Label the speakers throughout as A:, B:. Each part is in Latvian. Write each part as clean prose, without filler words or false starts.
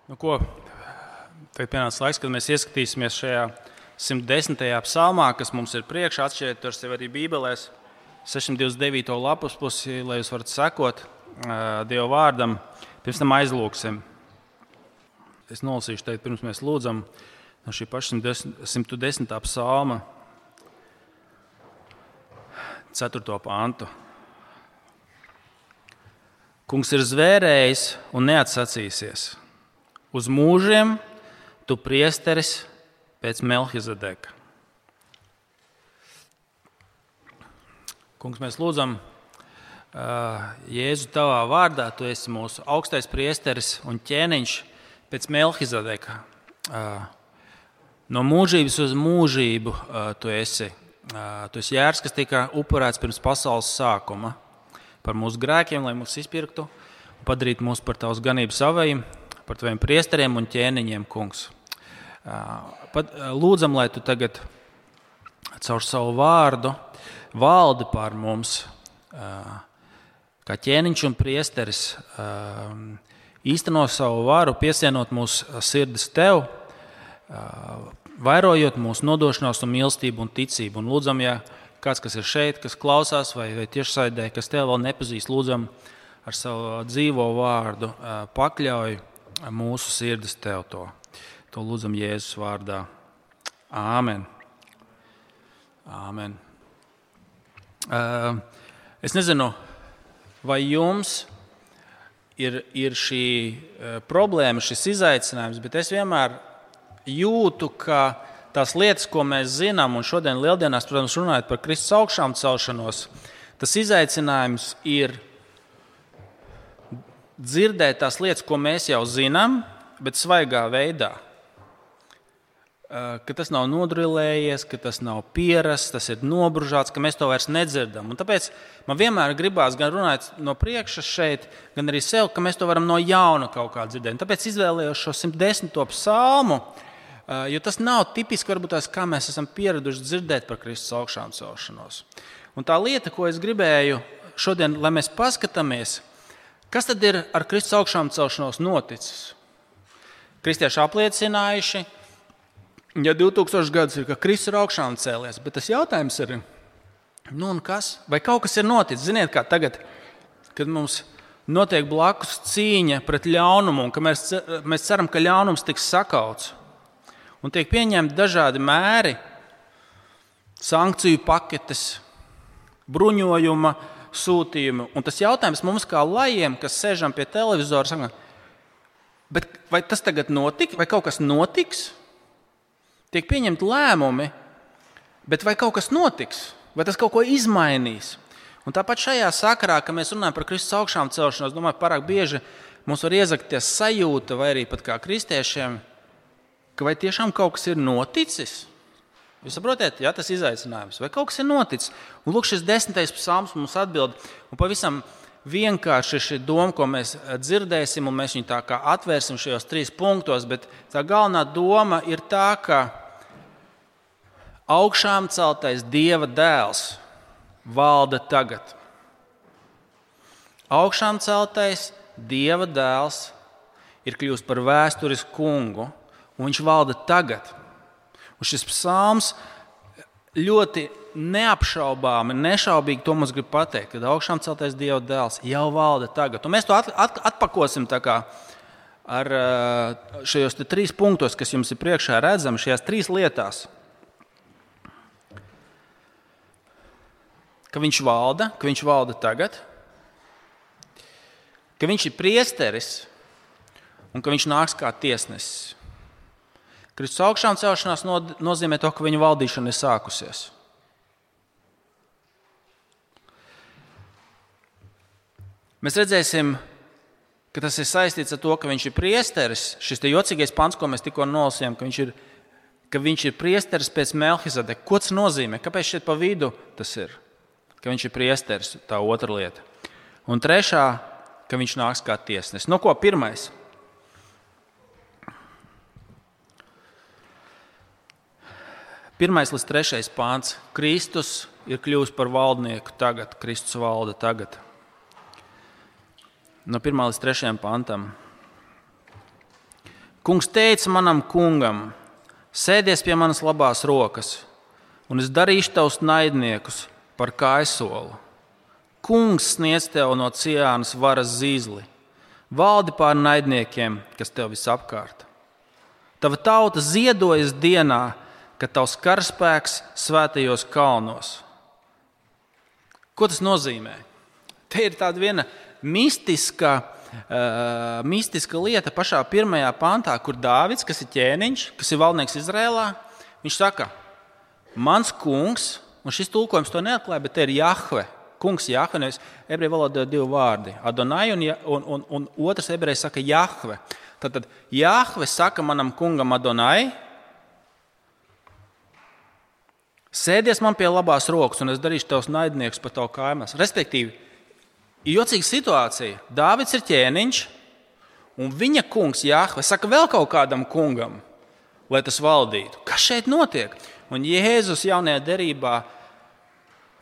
A: Tagad pienāca laiks, kad mēs ieskatīsimies šajā 110. psalmā, kas mums ir priekšā. Atšķiriet to sev arī Bībelēs, 629. lapus pusi, lai jūs varat sekot Dieva vārdam. Pirms tam aizlūksim. Es nolasīšu teikt, pirms mēs lūdzam no šī paša 110. psalma 4. pantu. Kungs ir zvērējis un neatsacīsies. Uz mūžiem tu priesteris pēc Melhizedeka. Kungs, mēs lūdzam, Jēzu, tavā vārdā, tu esi mūsu augstais priesteris un ķēniņš pēc Melhizedeka. No mūžības uz mūžību tu esi jērs, kas tika upurēts pirms pasaules sākuma par mūsu grēkiem, lai mūs izpirktu un padarītu mūs par tavas ganības avējiem, par taviem priesteriem un ķēniņiem, kungs. Lūdzam, lai tu tagad caur savu vārdu valdi pār mums, kā ķēniņš un priesteris, īsteno savu varu, piesienot mūsu sirdis tev, vairojot mūsu nodošanās un mīlestību un ticību. Un lūdzam, ja kāds, kas ir šeit, kas klausās vai tiešsaidē, kas tev vēl nepazīst, lūdzam ar savu dzīvo vārdu pakļauj mūsu sirdis tev to. To lūdzam Jēzus vārdā. Āmen. Āmen. Es nezinu, vai jums ir šī problēma, šis izaicinājums, bet es vienmēr jūtu, ka tās lietas, ko mēs zinām, un šodien lieldienās, protams, runājot par Kristus augšām celšanos, tas izaicinājums ir dzirdēt tās lietas, ko mēs jau zinām, bet svaigā veidā. Ka tas nav nodrilējies, ka tas nav pierasts, tas ir nobružāts, ka mēs to vairs nedzirdam. Un tāpēc man vienmēr gribās gan runāt no priekšas šeit, gan arī sev, ka mēs to varam no jauna kaut kā dzirdēt. Un tāpēc izvēlējos šo 110. psalmu, jo tas nav tipiski varbūt tās, kā mēs esam pieraduši dzirdēt par Kristus augšām celšanos. Un tā lieta, ko es gribēju šodien, lai mēs paskatāmies, kas tad ir ar Kristus augšām celšanos noticis? Kristieši apliecinājuši, ja 2000 gadus ir, ka Kristus ir augšām cēlies, bet tas jautājums ir, un kas? Vai kaut kas ir noticis? Ziniet, kā tagad, kad mums notiek blakus cīņa pret ļaunumu, un ka mēs ceram, ka ļaunums tiks sakauts, un tiek pieņemti dažādi mēri, sankciju paketes, bruņojuma sūtījumi. Un tas jautājums mums kā lajiem, kas sēžam pie televizora, saka, bet vai tas tagad notiks, vai kaut kas notiks? Tiek pieņemti lēmumi, bet vai kaut kas notiks? Vai tas kaut ko izmainīs? Un tāpat šajā sakarā, kad mēs runājam par Kristus augšām celšanos, domāju, pārāk bieži mums var iezakties sajūta, vai arī pat kā kristiešiem, ka vai tiešām kaut kas ir noticis? Jūs saprotiet, jā, tas izaicinājums. Vai kaut kas ir noticis? Un lūk, šis 10. psalms mums atbild, un pavisam vienkārši šī doma, ko mēs dzirdēsim, un mēs viņu tā kā atvērsim šajos 3 punktos, bet tā galvenā doma ir tā, ka augšām celtais Dieva dēls valda tagad. Augšām celtais Dieva dēls ir kļūst par vēsturisku kungu, un viņš valda tagad. Un šis psalms ļoti neapšaubāmi, nešaubīgi to mums grib pateikt, kad augšām celtais Dieva dēls jau valda tagad. Un mēs to atpakosim tā kā ar šajos 3 punktos, kas jums ir priekšā redzami, šajās 3 lietās. Ka viņš valda tagad, ka viņš ir priesteris un ka viņš nāks kā tiesnesis. Kristus augšām celšanās nozīmē to, ka viņa valdīšana ir sākusies. Mēs redzēsim, ka tas ir saistīts ar to, ka viņš ir priesteris. Šis te jocīgais pants, ko mēs tikko nolasījām, ka viņš ir priesteris pēc Melhizedeka. Ko tas nozīmē? Kāpēc šeit pa vidu tas ir? Ka viņš ir priesteris, tā otra lieta. Un trešā, ka viņš nāks kā tiesnesis. No ko pirmais? Pirmais līdz 3. pāns. Kristus ir kļuvis par valdnieku tagad. Kristus valda tagad. No 1. līdz 3. pantam. Kungs teica manam kungam, sēdies pie manas labās rokas, un es darīšu tavus naidniekus par kājsolu. Kungs sniedz tev no Ciānas varas zīzli, valdi pār naidniekiem, kas tev visapkārt. Tava tauta ziedojas dienā, kad tavs karaspēks svētajos kalnos. Ko tas nozīmē? Te ir tāda viena mistiska lieta pašā 1. pantā, kur Dāvids, kas ir ķēniņš, kas ir valdnieks Izrēlā, viņš saka, mans kungs, un šis tulkojums to neatklāja, bet te ir Jahve, kungs Jahve, nevis ebreju valodā 2 vārdi, Adonai un otrs ebreji saka Jahve. Tad Jahve saka manam kungam Adonai, sēdies man pie labās rokas, un es darīšu tavus naidniekus par tavu kājās. Respektīvi, ir jocīga situācija. Dāvids ir ķēniņš, un viņa kungs Jahve saka vēl kaut kādam kungam, lai tas valdītu. Kas šeit notiek? Un Jēzus jaunajā derībā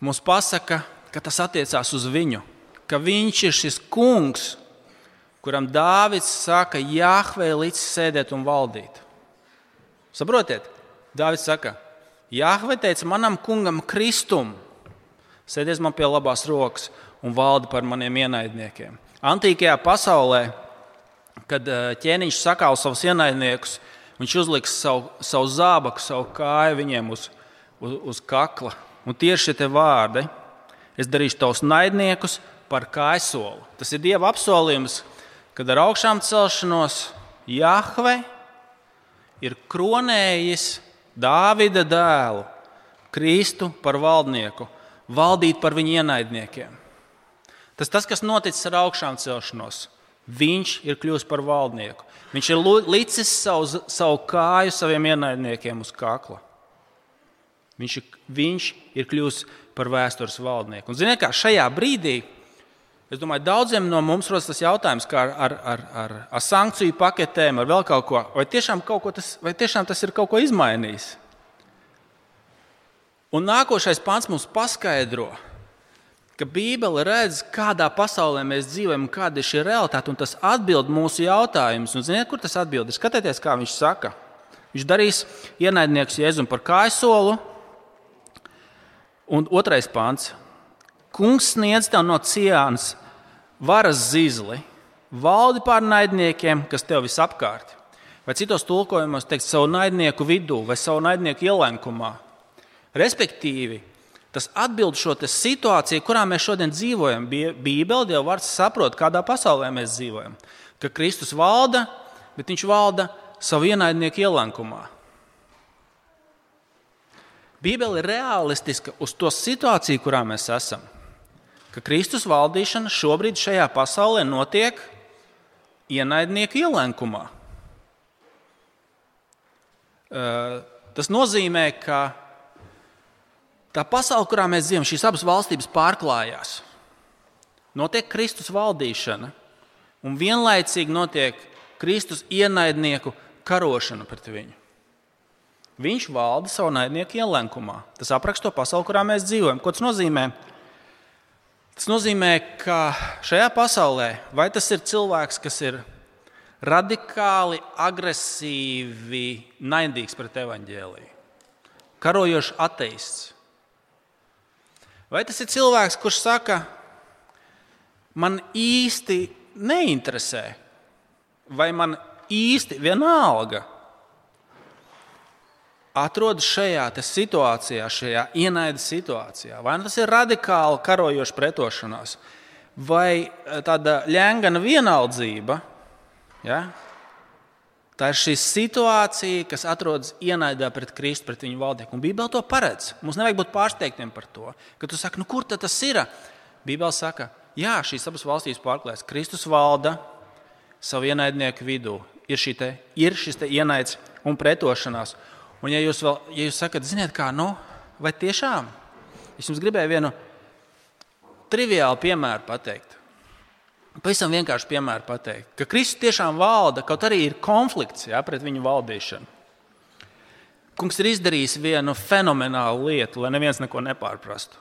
A: mums pasaka, ka tas attiecās uz viņu, ka viņš ir šis kungs, kuram Dāvids saka, Jahvei līdz sēdēt un valdīt. Saprotiet? Dāvids saka, Jahve teica manam kungam Kristum, sēdies man pie labās rokas un valdi par maniem ienaidniekiem. Antīkajā pasaulē, kad ķēniņš sakāla savus ienaidniekus, viņš uzliks savu zābaku, savu kāju viņiem uz kakla. Un tieši šie vārdi, es darīšu tavus naidniekus par kājsolu. Tas ir Dieva apsolījums, kad ar augšām celšanos Jahve ir kronējis Dāvida dēlu, Kristu par valdnieku, valdīt par viņa ienaidniekiem. Tas, kas noticis ar augšām celšanos, viņš ir kļuvis par valdnieku. Viņš ir licis savu kāju saviem ienaidniekiem uz kakla. Viņš ir kļuvis par vēstures valdnieku. Un ziniet, kā šajā brīdī, es domāju, daudziem no mums rodas tas jautājums, kā ar sankciju paketēm, ar vēl kaut ko, vai tiešām tas ir kaut ko izmainījis. Un nākošais pants mums paskaidro, ka Bībele redz, kādā pasaulē mēs dzīvojam, kāda ir šī realitāte, un tas atbild mūsu jautājumus. Un ziniet, kur tas atbild? Skatieties, kā viņš saka. Viņš darīs ienaidniekus Jēzum par kājsolu. Un 2. pants. Kungs sniedz tev no Ciānas varas zīzli, valdi pār naidniekiem, kas tev visapkārt. Vai citos tulkojumos teikt savu naidnieku vidū vai savu naidnieku ielenkumā. Respektīvi, tas atbild šo situāciju, kurā mēs šodien dzīvojam. Bībele, Dieva vārds saprot, kādā pasaulē mēs dzīvojam. Ka Kristus valda, bet viņš valda savu ienaidnieku ielenkumā. Bībele ir realistiska uz to situāciju, kurā mēs esam. Ka Kristus valdīšana šobrīd šajā pasaulē notiek ienaidnieku ielenkumā. Tas nozīmē, ka tā pasaule, kurā mēs dzīvojam, šīs abas valstības pārklājās. Notiek Kristus valdīšana, un vienlaicīgi notiek Kristus ienaidnieku karošana pret viņu. Viņš valda savu naidnieku ielenkumā. Tas apraksta to pasauli, kurā mēs dzīvojam. Ko tas nozīmē? Tas nozīmē, ka šajā pasaulē, vai tas ir cilvēks, kas ir radikāli, agresīvi, naidīgs pret evaņģēliju, karojošs ateists, vai tas ir cilvēks, kurš saka, man īsti neinteresē, vai man īsti vienalga, atrodas šajā situācijā, šajā ienaida situācijā. Vai tas ir radikāli karojoša pretošanās, vai tāda ļengana vienaldzība. Ja? Tā ir šī situācija, kas atrodas ienaidā pret Kristu, pret viņu valdnieku. Un Bībele to paredz. Mums nevajag būt pārsteigtiem par to. Kad tu saki, kur tad tas ir? Bībele saka, jā, šīs abas valstīs pārklājas. Kristus valda savu ienaidnieku vidū. Ir šis ienaids un pretošanās. Un ja jūs sakat, ziniet kā, vai tiešām? Es jums gribēju vienu triviālu piemēru pateikt. Pavisam vienkārši piemēru pateikt, ka Kristus tiešām valda, kaut arī ir konflikts pret viņu valdīšanu. Kungs ir izdarījis vienu fenomenālu lietu, lai neviens neko nepārprastu.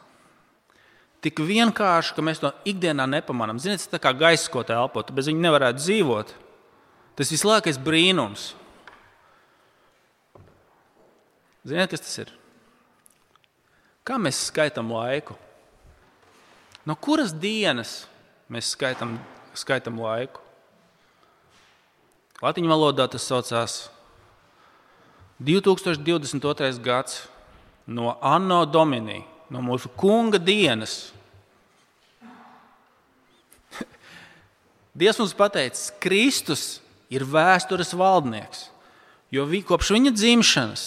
A: Tik vienkārši, ka mēs to ikdienā nepamanām. Ziniet, tā kā gaisa, ko te elpo, tu bez viņa nevarētu dzīvot. Tas vislielākais brīnums. Ziniet, kas tas ir? Kā mēs skaitām laiku? No kuras dienas mēs skaitām laiku? Latīņu valodā tas saucās 2022. gads no Anno Domini, no mūsu kunga dienas. Dievs mums pateicis, Kristus ir vēstures valdnieks, jo kopš viņa dzimšanas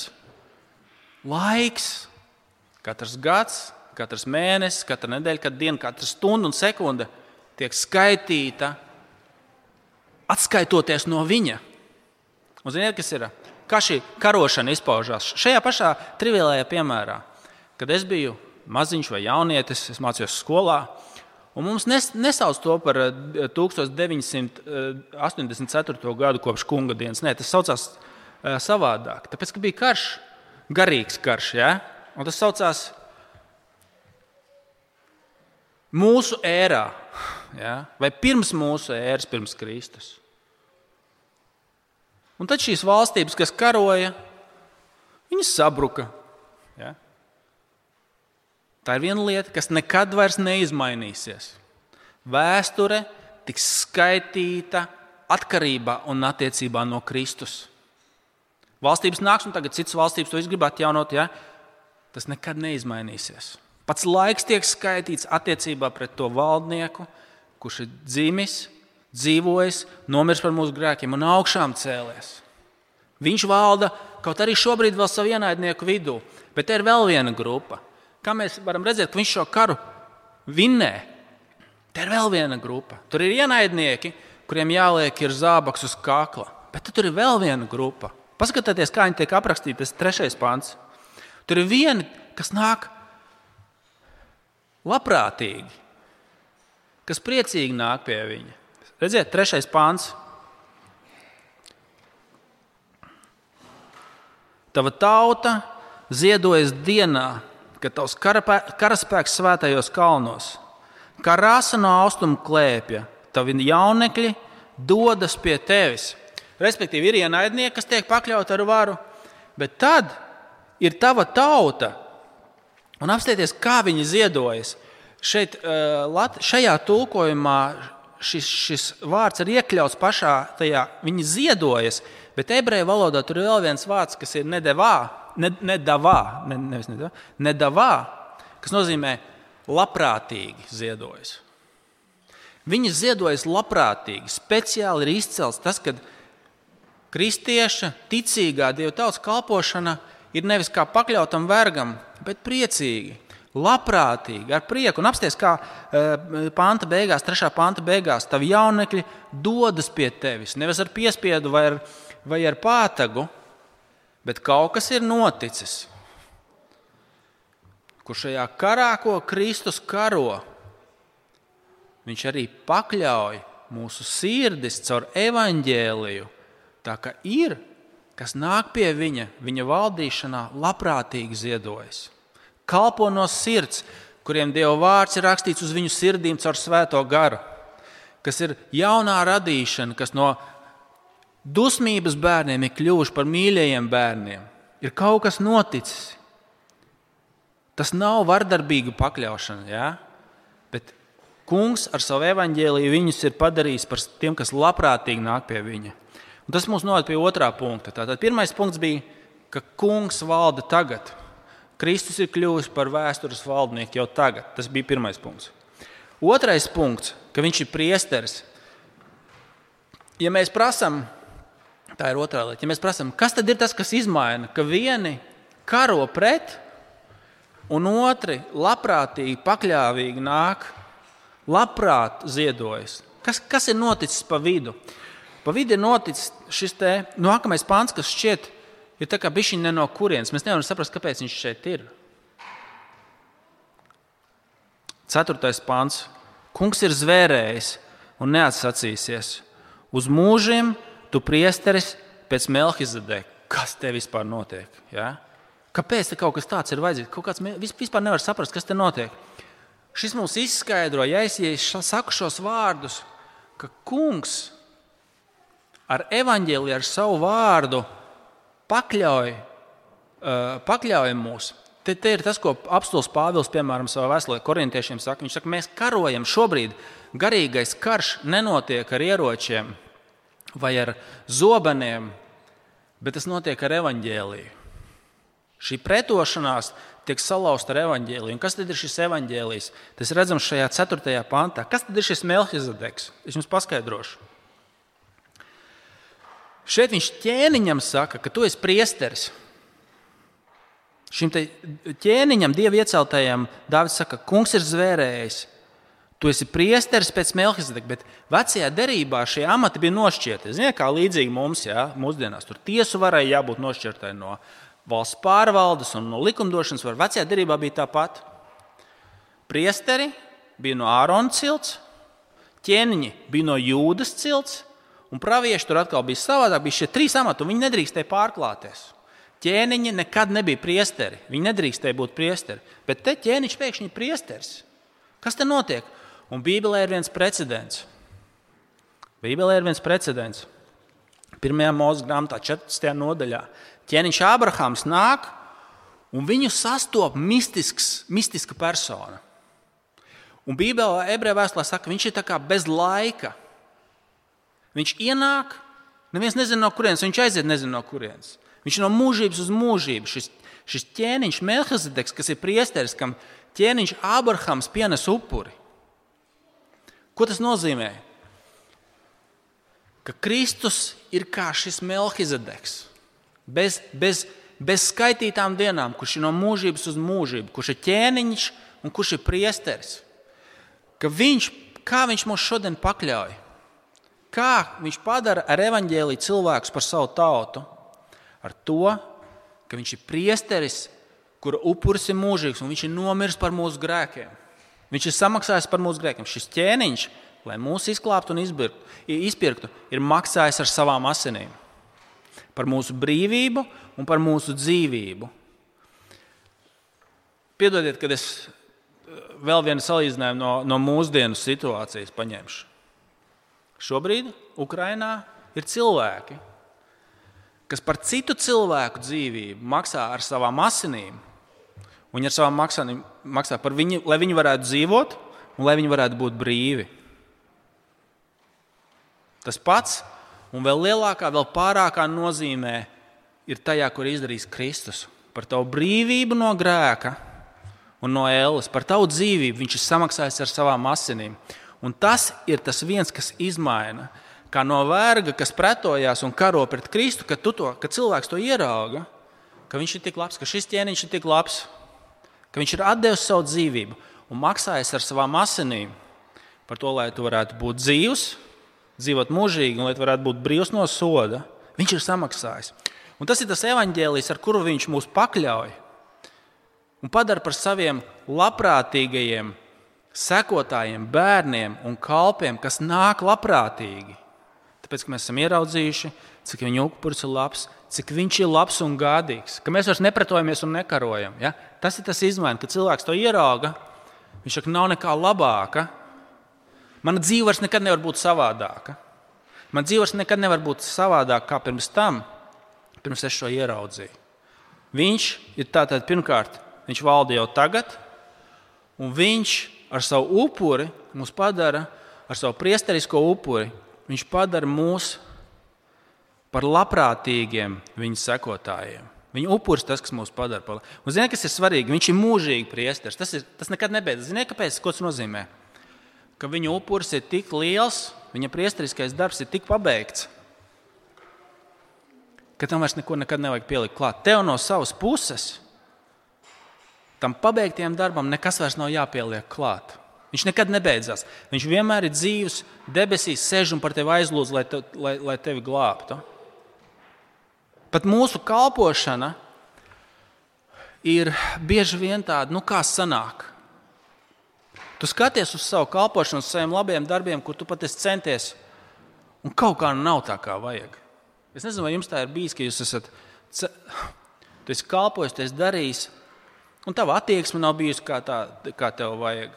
A: laiks, katrs gads, katrs mēnesis, katra nedēļa, katra diena, katra stunda un sekunde tiek skaitīta, atskaitoties no viņa. Un ziniet, kas ir? Kā šī karošana izpaužās? Šajā pašā triviālajā piemērā, kad es biju maziņš vai jaunietis, es mācījos skolā, un mums nesauc to par 1984. gadu kopš kunga dienas. Nē, tas saucās savādāk. Tāpēc, ka bija karš, garīgs karš, ja? Un tas saucās mūsu ērā, ja? Vai pirms mūsu ēras, pirms Kristus. Un tad šīs valstības, kas karoja, viņas sabruka. Ja? Tā ir viena lieta, kas nekad vairs neizmainīsies. Vēsture tiks skaitīta atkarībā un attiecībā no Kristus. Valstības nāks, un tagad citas valstības to grib atjaunot, ja? Tas nekad neizmainīsies. Pats laiks tiek skaitīts attiecībā pret to valdnieku, kurš ir dzimis, dzīvojis, nomirs par mūsu grēkiem un augšām cēlies. Viņš valda kaut arī šobrīd vēl savu ienaidnieku vidū, bet te ir vēl viena grupa. Kā mēs varam redzēt, ka viņš šo karu vinnē, te ir vēl viena grupa. Tur ir ienaidnieki, kuriem jāliek ir zābaks uz kakla, bet tur ir vēl viena grupa. Paskatieties, kā viņi tiek aprakstīti, tas 3. pants. Tur ir vieni, kas nāk labprātīgi, kas priecīgi nāk pie viņa. Redziet, 3. pants. Tava tauta ziedojas dienā, kad tavs karaspēks svētajos kalnos. Kā rasa no austrumu klēpja, tavi jaunekļi dodas pie tevis. Respektīvi, ir ienaidnieki, kas tiek pakļauti ar varu, bet tad ir tava tauta. Un apstieties, kā viņi ziedojas. Šajā tulkojumā šis vārds ir iekļauts pašā tajā, viņi ziedojas, bet ebreju valodā tur ir vēl viens vārds, kas ir nedavā, kas nozīmē labprātīgi ziedojas. Viņi ziedojas labprātīgi, speciāli ir izcelts tas, kad kristieša ticīgā Dieva tautas kalpošana ir nevis kā pakļautam vergam, bet priecīgi, labprātīgi, ar prieku. Un apsties, kā panta beigās, 3. panta beigās, tavi jaunekļi dodas pie tevis, nevis ar piespiedu vai ar pātagu, bet kaut kas ir noticis, kur šajā karā, ko Kristus karo, viņš arī pakļauj mūsu sirdis caur evaņģēliju, tā ka ir, kas nāk pie viņa valdīšanā, labprātīgi ziedojas. Kalpo no sirds, kuriem Dieva vārds ir rakstīts uz viņu sirdīm caur svēto garu, kas ir jaunā radīšana, kas no dusmības bērniem ir kļuvuši par mīļajiem bērniem. Ir kaut kas noticis. Tas nav vardarbīga pakļaušana, ja? Bet Kungs ar savu evaņģēliju viņus ir padarījis par tiem, kas labprātīgi nāk pie viņa. Un tas mums noved pie 2. punkta. Tātad 1. punkts bija, ka Kungs valda tagad. Kristus ir kļuvis par vēstures valdnieku jau tagad. Tas bija 1. punkts. 2. punkts, ka viņš ir priesteris. Ja mēs prasam, tā ir 2. lieta, ja mēs prasam, kas tad ir tas, kas izmaina, ka vieni karo pret un otri labprātīgi, pakļāvīgi nāk, labprāt ziedojas. Kas ir noticis pa vidu? Pa vidu ir noticis šis te nākamais pants, kas šķiet ir tā kā bišķiņ ne no kurienes. Mēs nevaram saprast, kāpēc viņš šeit ir. 4. pants. Kungs ir zvērējis un neatsacīsies. Uz mūžiem tu priesteris pēc Melhizedeka. Kas te vispār notiek? Ja? Kāpēc te kaut kas tāds ir vajadzīgs? Kaut kāds vispār nevar saprast, kas te notiek. Šis mums izskaidro, ja es saku šos vārdus, ka Kungs ar evaņģēliju, ar savu vārdu pakļauj mūs. Te ir tas, ko apostols Pāvils, piemēram, savā vēstulē korintiešiem saka. Viņš saka, mēs karojam šobrīd. Garīgais karš nenotiek ar ieročiem vai ar zobeniem, bet tas notiek ar evaņģēliju. Šī pretošanās tiek salauzta ar evaņģēliju. Un kas tad ir šis evaņģēlijs? Tas redzams šajā 4. pantā. Kas tad ir šis Melhizedeks? Es jums paskaidrošu. Šeit viņš ķēniņam saka, ka tu esi priesteris. Šim ķēniņam, Dieva ieceltajam, Dāvids saka, kungs ir zvērējis. Tu esi priesteris pēc Melhizedeka, bet vecajā derībā šie amati bija nošķirti. Ziniet, kā līdzīgi mums, mūsdienās. Tur tiesu varai jābūt nošķirtai no valsts pārvaldes un no likumdošanas. Vecajā derībā bija tāpat. Priesteri bija no Ārona cilts, ķēniņi bija no Jūdas cilts, un pravieši tur atkal bija savādāk. Bija šie 3 amati, un viņi nedrīkstēja pārklāties. Ķēniņi nekad nebija priesteri. Viņi nedrīkstēja būt priesteri. Bet te ķēniņš pēkšņi ir priesteris. Kas te notiek? Un Bībelē ir viens precedents. 1. Mūzes grāmatā 14. nodaļā. Ķēniņš Ābrahams nāk, un viņu sastop mistiska persona. Un Bībelē ebreju vēstulē saka, ka viņš ir tā kā bez laika. Viņš ienāk, neviens nezina no kurienes, viņš aiziet nezina no kurienes. Viņš ir no mūžības uz mūžību. Šis ķēniņš Melhizedeks, kas ir priesteris, kam ķēniņš Ābrahams pienes upuri. Ko tas nozīmē? Ka Kristus ir kā šis Melhizedeks. Bez skaitītām dienām, kurš ir no mūžības uz mūžību, kurš ir ķēniņš un kurš ir priesteris. Kā viņš mūs šodien pakļauj? Kā viņš padara ar evaņģēliju cilvēkus par savu tautu? Ar to, ka viņš ir priesteris, kura upuris ir mūžīgs, un viņš ir nomiris par mūsu grēkiem. Viņš ir samaksājis par mūsu grēkiem. Šis ķēniņš, lai mūs izklāptu un izpirktu, ir maksājis ar savām asinīm. Par mūsu brīvību un par mūsu dzīvību. Piedodiet, kad es vēl vienu salīdzinājumu no mūsdienu situācijas paņemšu. Šobrīd Ukrainā ir cilvēki, kas par citu cilvēku dzīvību maksā ar savām asinīm. Viņi ar savām asinīm maksā par viņu, lai viņi varētu dzīvot un lai viņi varētu būt brīvi. Tas pats un vēl lielākā, vēl pārākā nozīmē ir tajā, kur izdarīs Kristus. Par tavu brīvību no grēka un no ēles, par tavu dzīvību viņš ir samaksājis ar savām asinīm. Un tas ir tas viens, kas izmaina. Kā no verga, kas pretojās un karo pret Kristu, kad cilvēks to ierauga, ka viņš ir tik labs, ka šis ķēniņš ir tik labs, ka viņš ir atdevis savu dzīvību un maksājis ar savām asinīm par to, lai tu varētu būt dzīvs, dzīvot mūžīgi un lai tu varētu būt brīvs no soda. Viņš ir samaksājis. Un tas ir tas evaņģēlijs, ar kuru viņš mūs pakļauj un padara par saviem labprātīgajiem sekotājiem, bērniem un kalpiem, kas nāk labprātīgi. Tāpēc, ka mēs esam ieraudzījuši, cik viņa upuris ir labs, cik viņš ir labs un gādīgs, ka mēs vairs nepretojamies un nekarojam. Ja? Tas ir tas izmaiņas, kad cilvēks to ierauga, viņš saka, nav nekā labāka. Mana dzīve vairs nekad nevar būt savādāka. Man dzīve vairs nekad nevar būt savādāka kā pirms es šo ieraudzīju. Viņš ir tātad pirmkārt, viņš valda jau tagad, un viņš ar savu upuri mūs padara, ar savu priesterisko upuri, viņš padara mūs par labprātīgiem viņa sekotājiem. Viņa upuris tas, kas mūs padara par. Un ziniet, kas ir svarīgi? Viņš ir mūžīgi priesteris. Tas nekad nebeidzas. Ziniet, kāpēc? Ko tas nozīmē? Ka viņa upuris ir tik liels, viņa priesteriskais darbs ir tik pabeigts, ka tam vairs neko nekad nevajag pielikt klāt. Tev no savas puses tam pabeigtiem darbam nekas vairs nav jāpieliek klāt. Viņš nekad nebeidzās. Viņš vienmēr ir dzīvs, debesīs sēž un par tevi aizlūdz, lai tevi glābtu. Pat mūsu kalpošana ir bieži vien tāda, kā sanāk. Tu skaties uz savu kalpošanu, uz saviem labiem darbiem, kur tu pat esi centies, un kaut kā nav tā, kā vajag. Es nezinu, vai jums tā ir bijis, ka jūs tu esi kalpojis, tu esi darījis, un tava attieksme nav bijusi kā tev vajag.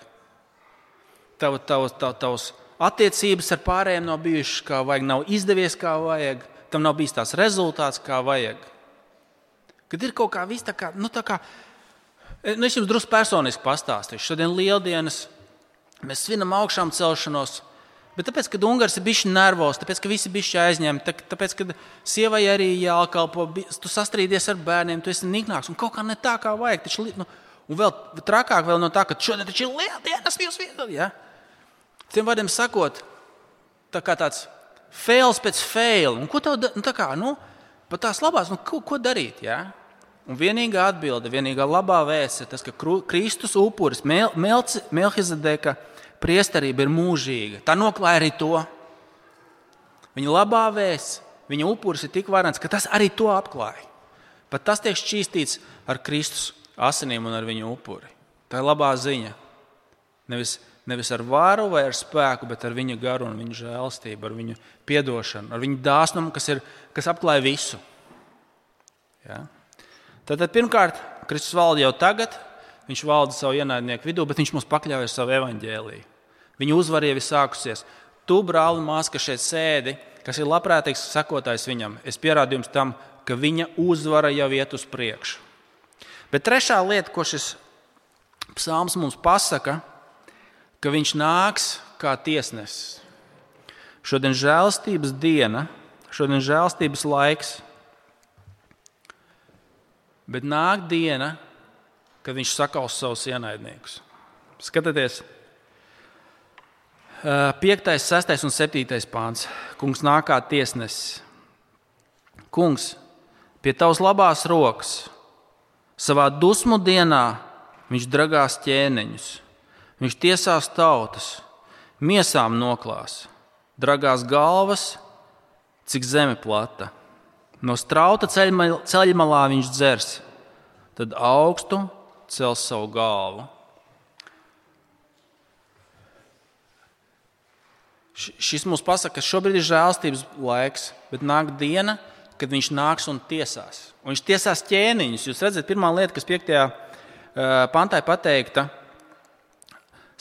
A: Tavs attiecības ar pārējiem nav bijušas kā vajag, nav izdevies kā vajag, tam nav bijis tās rezultāts kā vajag. Kad ir kaut kā viss tā kā, es jums drusku personiski pastāstīšu. Šodien lieldienas, mēs svinam augšām celšanos, bet tāpēc, kad Ungars ir bišķi nervos, tāpēc, ka visi bišķi aizņemti, tāpēc, kad sievai arī jākalpo, tu sastrīdies ar bērniem, tu esi niknāks un kaut kā ne tā kā vajag. Un vēl trakāk vēl no tā, ka šodien taču ir lieldienas jūs viedot. Ja? Tiem vārdiem sakot, tā kā tāds fails pēc fail. Un ko tev, pat tās labās, ko darīt? Ja? Un vienīgā atbilde, vienīgā labā vēsts ir tas, ka Kristus upuris, Melhizedeka priesterība ir mūžīga. Tā noklāja arī to. Viņa labā vēsts, viņa upuris ir tik varants, ka tas arī to apklāja. Pat tas tiek šķīstīts ar Kristus asinīm un ar viņu upuri. Tā ir labā ziņa. Nevis ar varu vai ar spēku, bet ar viņa garu un viņa žēlastību, ar viņu piedošanu, ar viņu dāsnumu, kas apklāja visu. Ja? Tātad pirmkārt, Kristus valda jau tagad, viņš valda savu ienaidnieku vidū, bet viņš mums pakļauj ar savu evaņģēliju. Viņa uzvara jau ir sākusies. Tu, brāli, māsa, kas šeit sēdi, kas ir labprātīgs sekotājs viņam, es pierādu jums tam, ka viņa uzvara jau iet uz priekšu. Bet trešā lieta, ko šis psalms mums pasaka, ka viņš nāks kā tiesnesis. Šodien žēlastības diena, šodien žēlastības laiks, bet nāk diena, kad viņš sakaus savus ienaidniekus. Skatieties, 5., 6. un 7. pāns. Kungs nāk kā tiesnesis. Kungs, pie tavas labās rokas, savā dusmu dienā viņš dragās ķēniņus. Viņš tiesās tautas, miesām noklās, dragās galvas, cik zeme plata. No strauta ceļmalā viņš dzers, tad augstu cels savu galvu. Šis mums pasaka, ka šobrīd ir žēlstības laiks, bet nāk diena, kad viņš nāks un tiesās. Un viņš tiesās ķēniņus. Jūs redzat, pirmā lieta, kas 5. pantā ir pateikta,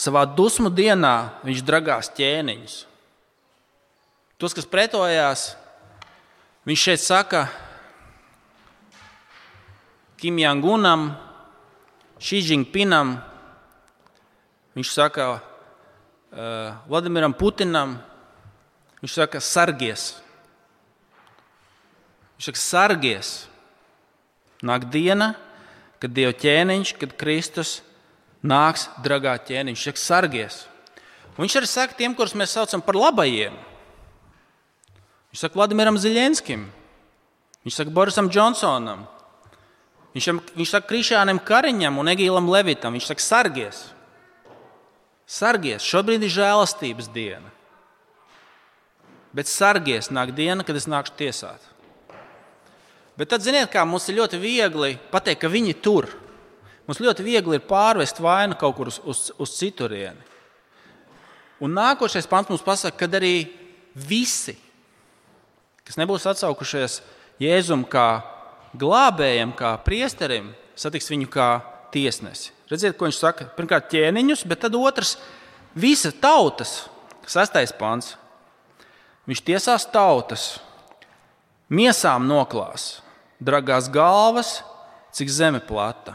A: savā dusmu dienā viņš dragās ķēniņus. Tos, kas pretojās, viņš šeit saka Kim Jong-unam, Xi Jinpingam, viņš saka Vladimiram Putinam, viņš saka sargies. Viņš saka sargies. Nāk diena, kad Dieva ķēniņš, kad Kristus nāks dragā ķēniņš. Viņš saka sargies. Un viņš arī saka tiem, kurus mēs saucam par labajiem. Viņš saka Vladimiram Ziļenskim. Viņš saka Borisam Džonsonam. Viņš saka Krišjānam Kariņam un Egīlam Levitam. Viņš saka sargies. Sargies. Šobrīd ir žēlastības diena. Bet sargies nāk diena, kad es nākšu tiesāt. Bet tad, ziniet, kā mums ir ļoti viegli pateikt, ka viņi tur. Mums ļoti viegli ir pārvest vainu kaut kur uz citurieni. Un nākošais pants mums pasaka, kad arī visi, kas nebūs atsaukušies Jēzum kā glābējam, kā priesterim, satiks viņu kā tiesnesi. Redziet, ko viņš saka? Pirmkārt ķēniņus, bet tad otrs visa tautas, 6. pants. Viņš tiesās tautas, miesām noklās, dragās galvas, cik zeme plata.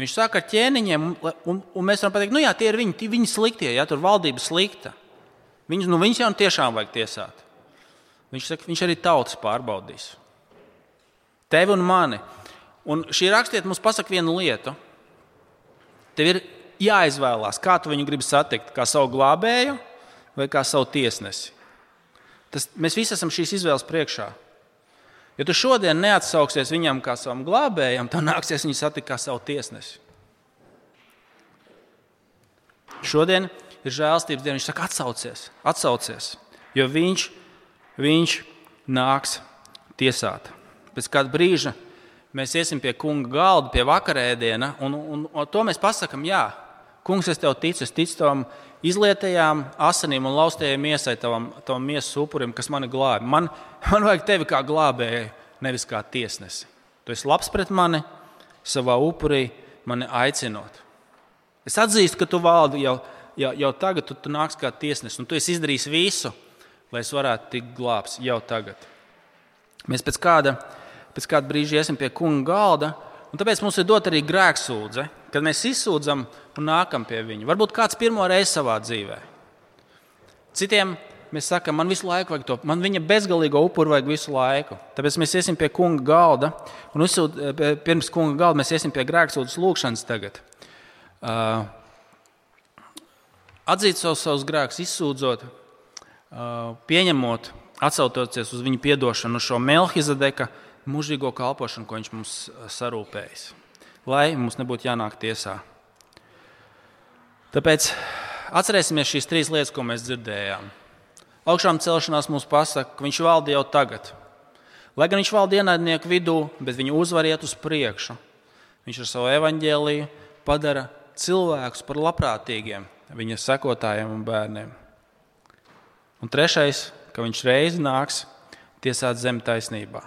A: Viņš saka ar ķēniņiem, un mēs varam pateikt, jā, tie ir viņi sliktie, ja, tur valdība slikta. Viņus jau tiešām vajag tiesāt. Viņš saka, viņš arī tautas pārbaudīs. Tevi un mani. Un šī rakstiet mums pasaka vienu lietu. Tev ir jāizvēlās, kā tu viņu gribi satikt, kā savu glābēju vai kā savu tiesnesi. Mēs visi esam šīs izvēles priekšā. Ja tu šodien neatsauksies viņam kā savam glābējam, tad nāksies viņu satikt kā savu tiesnesi. Šodien ir žēlstības diena, viņš saka atsaucies, jo viņš nāks tiesāt. Pēc kāda brīža mēs iesim pie kunga galda, pie vakarēdiena, un to mēs pasakam, jā, kungs, es tev ticu, es ticu tavam izlietajām asinīm un laustajai miesai, tavam miesas upurim, kas mani glābi. Man vajag tevi kā glābēju, nevis kā tiesnesi. Tu esi labs pret mani, savā upurī mani aicinot. Es atzīstu, ka tu valdi jau jau tagad tu nāks kā tiesnesis, un tu esi izdarījis visu, lai es varētu tikt glābts jau tagad. Mēs pēc kāda brīža iesim pie kunga galda, un tāpēc mums ir dot arī grēksūdze, kad mēs izsūdzam un nākam pie viņa. Varbūt kāds pirmo reizi savā dzīvē. Citiem mēs sakam, man visu laiku vajag to, man viņa bezgalīgo upuru vajag visu laiku. Tāpēc mēs iesim pie kunga galda, un pirms kunga galda mēs iesim pie grēksūdzes lūgšanas tagad. Atzīt savus grēkus, izsūdzot, pieņemot, atsaucoties uz viņa piedošanu, uz šo Melhizedeka mūžīgo kalpošanu, ko viņš mums sarūpējis, lai mums nebūtu jānāk tiesā. Tāpēc atcerēsimies šīs 3 lietas, ko mēs dzirdējām. Augšām celšanās mums pasaka, ka viņš valda jau tagad. Lai gan viņš valda ienaidnieku vidū, bet viņa uzvar iet uz priekšu. Viņš ar savu evaņģēliju padara cilvēkus par labprātīgiem, viņa sekotājiem un bērniem. Un 3, ka viņš reizi nāks tiesāt zemi taisnībā.